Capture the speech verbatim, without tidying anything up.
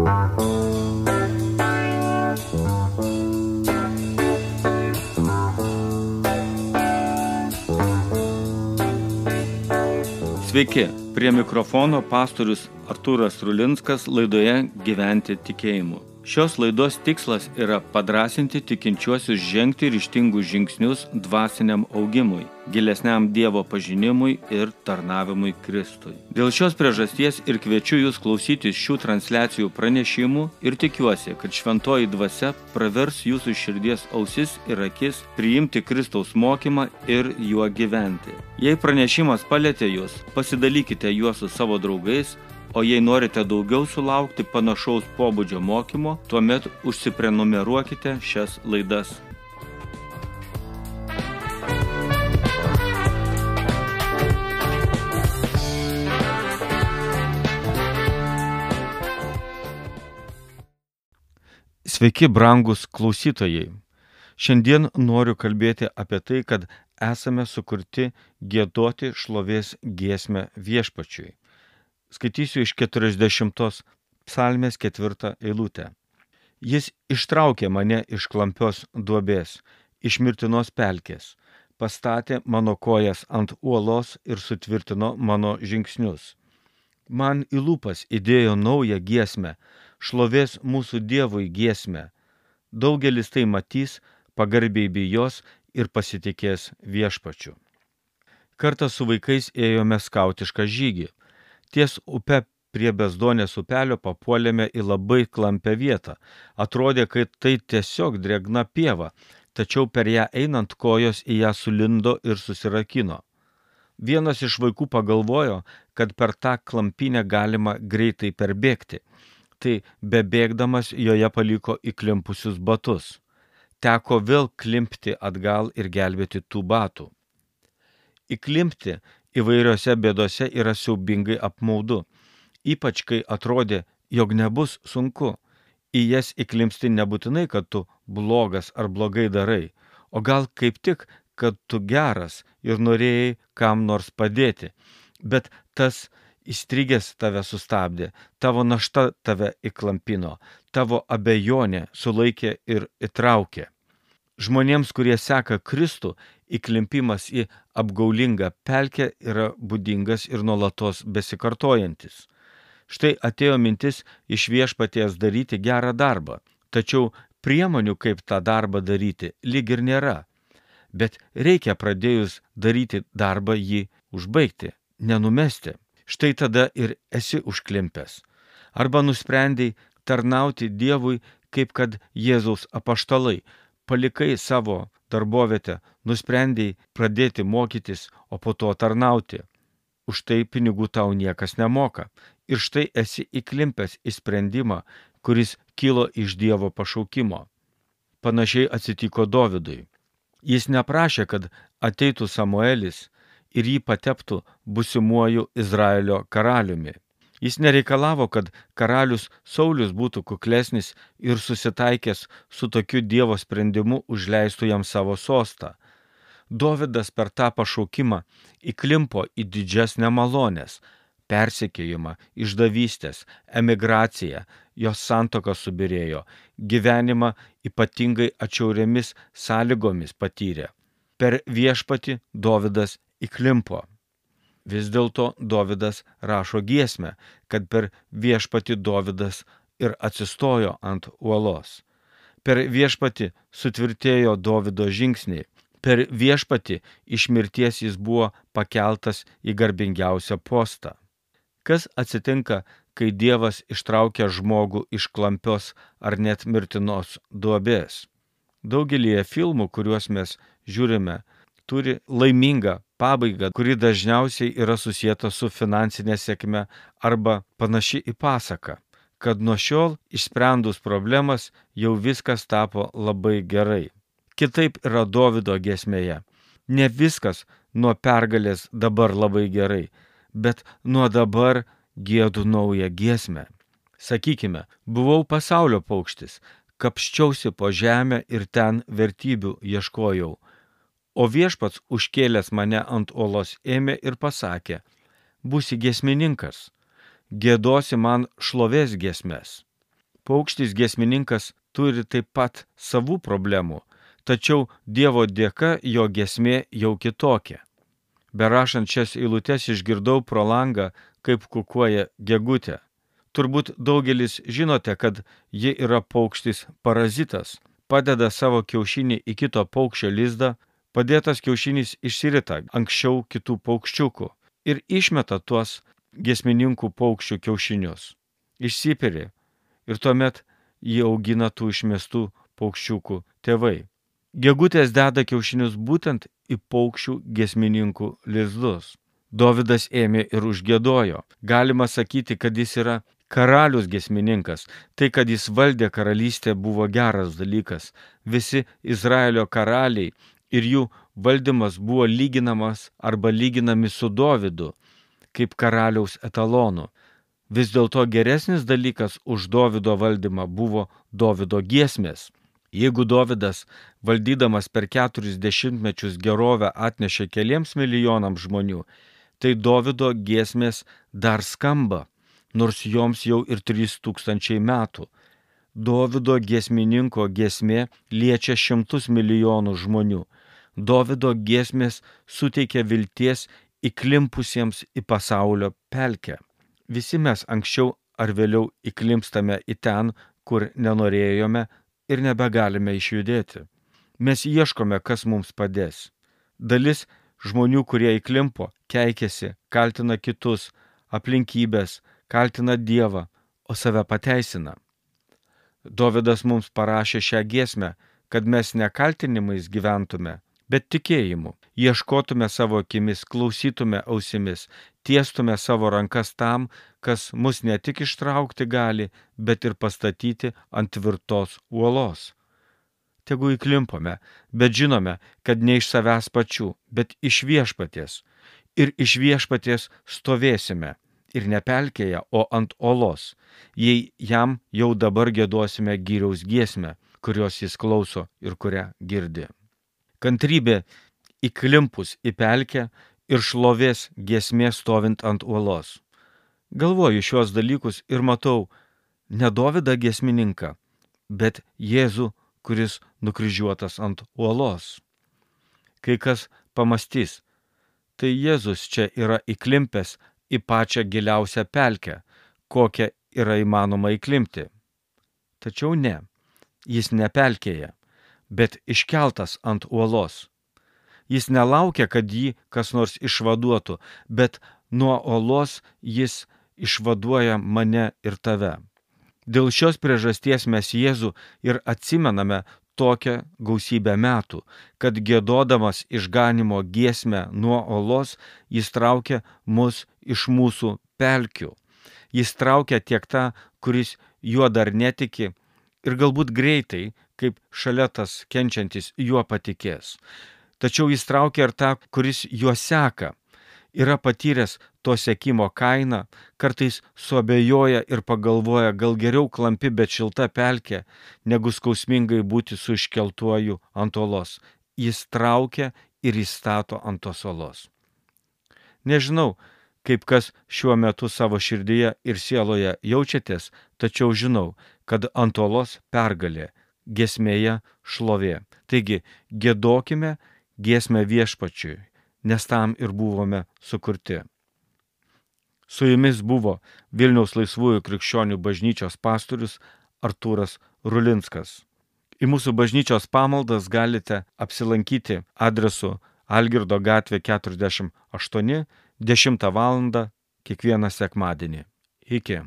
Sveiki, prie mikrofono pastorius Artūras Rulinskas laidoje Gyventi tikėjimu. Šios laidos tikslas yra padrąsinti tikinčiuosius žengti ryžtingus žingsnius dvasiniam augimui, gilesniam Dievo pažinimui ir tarnavimui Kristui. Dėl šios priežasties ir kviečiu jūs klausytis šių transliacijų pranešimų ir tikiuosi, kad šventoji dvasia pravers jūsų širdies ausis ir akis priimti Kristaus mokymą ir juo gyventi. Jei pranešimas palietė jūs, pasidalykite juos su savo draugais, o jei norite daugiau sulaukti panašaus pobūdžio mokymo, tuomet užsiprenumeruokite šias laidas. Sveiki, brangūs klausytojai! Šiandien noriu kalbėti apie tai, kad esame sukurti giedoti šlovės giesmę Viešpačiui. Skaitysiu iš keturiasdešimtos psalmės ketvirtą eilutę. Jis ištraukė mane iš klampios duobės, iš mirtinos pelkės, pastatė mano kojas ant uolos ir sutvirtino mano žingsnius. Man į lūpas įdėjo naują giesmę, šlovės mūsų Dievui giesmę. Daugelis tai matys, pagarbiai bijos ir pasitikės Viešpačiu. Kartą su vaikais ėjome skautišką žygį. Ties upe prie Bezdonės upelio papuolėme į labai klampią vietą. Atrodė, kad tai tiesiog drėgna pieva, tačiau per ją einant kojos į ją sulindo ir susirakino. Vienas iš vaikų pagalvojo, kad per tą klampynę galima greitai perbėgti. Tai bebėgdamas joje paliko įklimpusius batus. Teko vėl klimpti atgal ir gelbėti tų batų. Įklimpti įvairiose bėdose yra siaubingai apmaudu, ypač kai atrodė, jog nebus sunku. Į jas įklimpsti nebūtinai, kad tu blogas ar blogai darai, o gal kaip tik, kad tu geras ir norėjai kam nors padėti, bet tas įstrigęs tave sustabdė, tavo našta tave įklampino, tavo abejonė sulaikė ir įtraukė. Žmonėms, kurie seka Kristų, įklimpimas į apgaulingą pelkę yra būdingas ir nuolatos besikartojantis. Štai atėjo mintis iš Viešpaties daryti gerą darbą, tačiau priemonių, kaip tą darbą daryti, lyg ir nėra. Bet reikia pradėjus daryti darbą jį užbaigti, nenumesti. Štai tada ir esi užklimpęs. Arba nusprendei tarnauti Dievui, kaip kad Jėzaus apaštalai, palikai savo darbovietę, nusprendei pradėti mokytis, o po to tarnauti. Už tai pinigų tau niekas nemoka. Ir štai esi įklimpęs į sprendimą, kuris kilo iš Dievo pašaukimo. Panašiai atsitiko Dovydui. Jis neprašė, kad ateitų Samuelis ir jį pateptų būsimuoju Izraelio karaliumi. Jis nereikalavo, kad karalius Saulius būtų kuklesnis ir susitaikęs su tokiu Dievo sprendimu užleistų jam savo sostą. Dovydas per tą pašaukimą įklimpo į didžias nemalonės, persekiojimą, išdavystės, emigraciją, jos santuoka subyrėjo, gyvenimą ypatingai atšiauriomis sąlygomis patyrė. Per Viešpatį Dovydas įklimpo. Vis dėlto Dovydas rašo giesmę, kad per Viešpatį Dovydas ir atsistojo ant uolos. Per Viešpatį sutvirtėjo Dovydo žingsniai. Per Viešpatį iš mirties jis buvo pakeltas į garbingiausią postą. Kas atsitinka, kai Dievas ištraukia žmogų iš klampios ar net mirtinos duobės? Daugelyje filmų, kuriuos mes žiūrime, turi laimingą pabaigą, kuri dažniausiai yra susieta su finansinė sėkme arba panaši į pasaką, kad nuo šiol išsprendus problemas jau viskas tapo labai gerai. Kitaip yra Dovydo giesmėje. Ne viskas nuo pergalės dabar labai gerai, bet nuo dabar giedu naują giesmę. Sakykime, buvau pasaulio paukštis, kapsčiausi po žemę ir ten vertybių ieškojau. O Viešpats užkėlęs mane ant uolos ėmė ir pasakė, būsi giesmininkas, giedosi man šlovės giesmes. Paukštis giesmininkas turi taip pat savų problemų, tačiau Dievo dėka jo giesmė jau kitokia. Berašant šias eilutes išgirdau pro langą, kaip kukuoja gegutė. Turbūt daugelis žinote, kad ji yra paukštis parazitas, padeda savo kiaušinį į kito paukščio lizdą, padėtas kiaušinis išsirita anksčiau kitų paukščiukų ir išmeta tuos giesmininkų paukščių kiaušinius. Išsiperi ir tuomet jį augina tų išmestų paukščiukų tėvai. Gegutės deda kiaušinius būtent į paukščių giesmininkų lizdus. Dovydas ėmė ir užgiedojo. Galima sakyti, kad jis yra karalius giesmininkas. Tai, kad jis valdė karalystę, buvo geras dalykas. Visi Izraelio karaliai ir jų valdymas buvo lyginamas arba lyginami su Dovydu, kaip karaliaus etalonu. Vis dėlto geresnis dalykas už Dovydo valdymą buvo Dovydo giesmės. Jeigu Dovydas, valdydamas per keturis dešimtmečius gerovę atnešė keliems milijonams žmonių, tai Dovydo giesmės dar skamba, nors joms jau ir trys tūkstančiai metų. Dovydo giesmininko giesmė liečia šimtus milijonų žmonių. Dovydo giesmės suteikia vilties įklimpusiems į pasaulio pelkę. Visi mes anksčiau ar vėliau įklimpstame į ten, kur nenorėjome ir nebegalime išjudėti. Mes ieškome, kas mums padės. Dalis žmonių, kurie įklimpo, keikiasi, kaltina kitus, aplinkybės, kaltina Dievą, o save pateisina. Dovydas mums parašė šią giesmę, kad mes ne kaltinimais gyventume, bet tikėjimu. Ieškotume savo akimis, klausytume ausimis, tiestume savo rankas tam, kas mus ne tik ištraukti gali, bet ir pastatyti ant tvirtos uolos. Tegu įklimpome, bet žinome, kad ne iš savęs pačių, bet iš viešpaties. Ir iš viešpaties stovėsime, ir ne pelkėje, o ant uolos, jei jam jau dabar giedosime gyriaus giesmę, kurios jis klauso ir kurią girdi. Kantrybė įklimpus į pelkę ir šlovės giesmė stovint ant uolos. Galvoju šios dalykus ir matau ne Dovydą giesmininką, bet Jėzų, kuris nukryžiuotas ant uolos. Kai kas pamastys, tai Jėzus čia yra įklimpęs į pačią giliausią pelkę, kokią yra įmanoma įklimpti. Tačiau ne, jis ne pelkėje, bet iškeltas ant uolos. Jis nelaukia, kad jį kas nors išvaduotų, bet nuo uolos jis išvaduoja mane ir tave. Dėl šios priežasties mes Jėzų ir atsimename tokią gausybę metų, kad giedodamas išganimo giesmę nuo uolos, jis traukia mus iš mūsų pelkių. Jis traukia tiek tą, kuris juo dar netiki, ir galbūt greitai, kaip šalia tas kenčiantis, juo patikės. Tačiau jis traukia ir tą, kuris juo seka, yra patyręs to sekimo kainą, kartais suabejoja ir pagalvoja, gal geriau klampi, bet šilta pelkė, negu skausmingai būti su iškeltuoju ant uolos. Jis traukia ir įstato ant tos uolos. Nežinau, kaip kas šiuo metu savo širdyje ir sieloje jaučiatės, tačiau žinau, kad ant uolos pergalė, giesmėje šlovė. Taigi, giedokime giesmę viešpačiui, nes tam ir buvome sukurti. Su jumis buvo Vilniaus Laisvųjų krikščionių bažnyčios pastorius Artūras Rulinskas. Į mūsų bažnyčios pamaldas galite apsilankyti adresu Algirdo gatvė keturiasdešimt aštuoni, dešimtą valandą kiekvieną sekmadienį. Iki.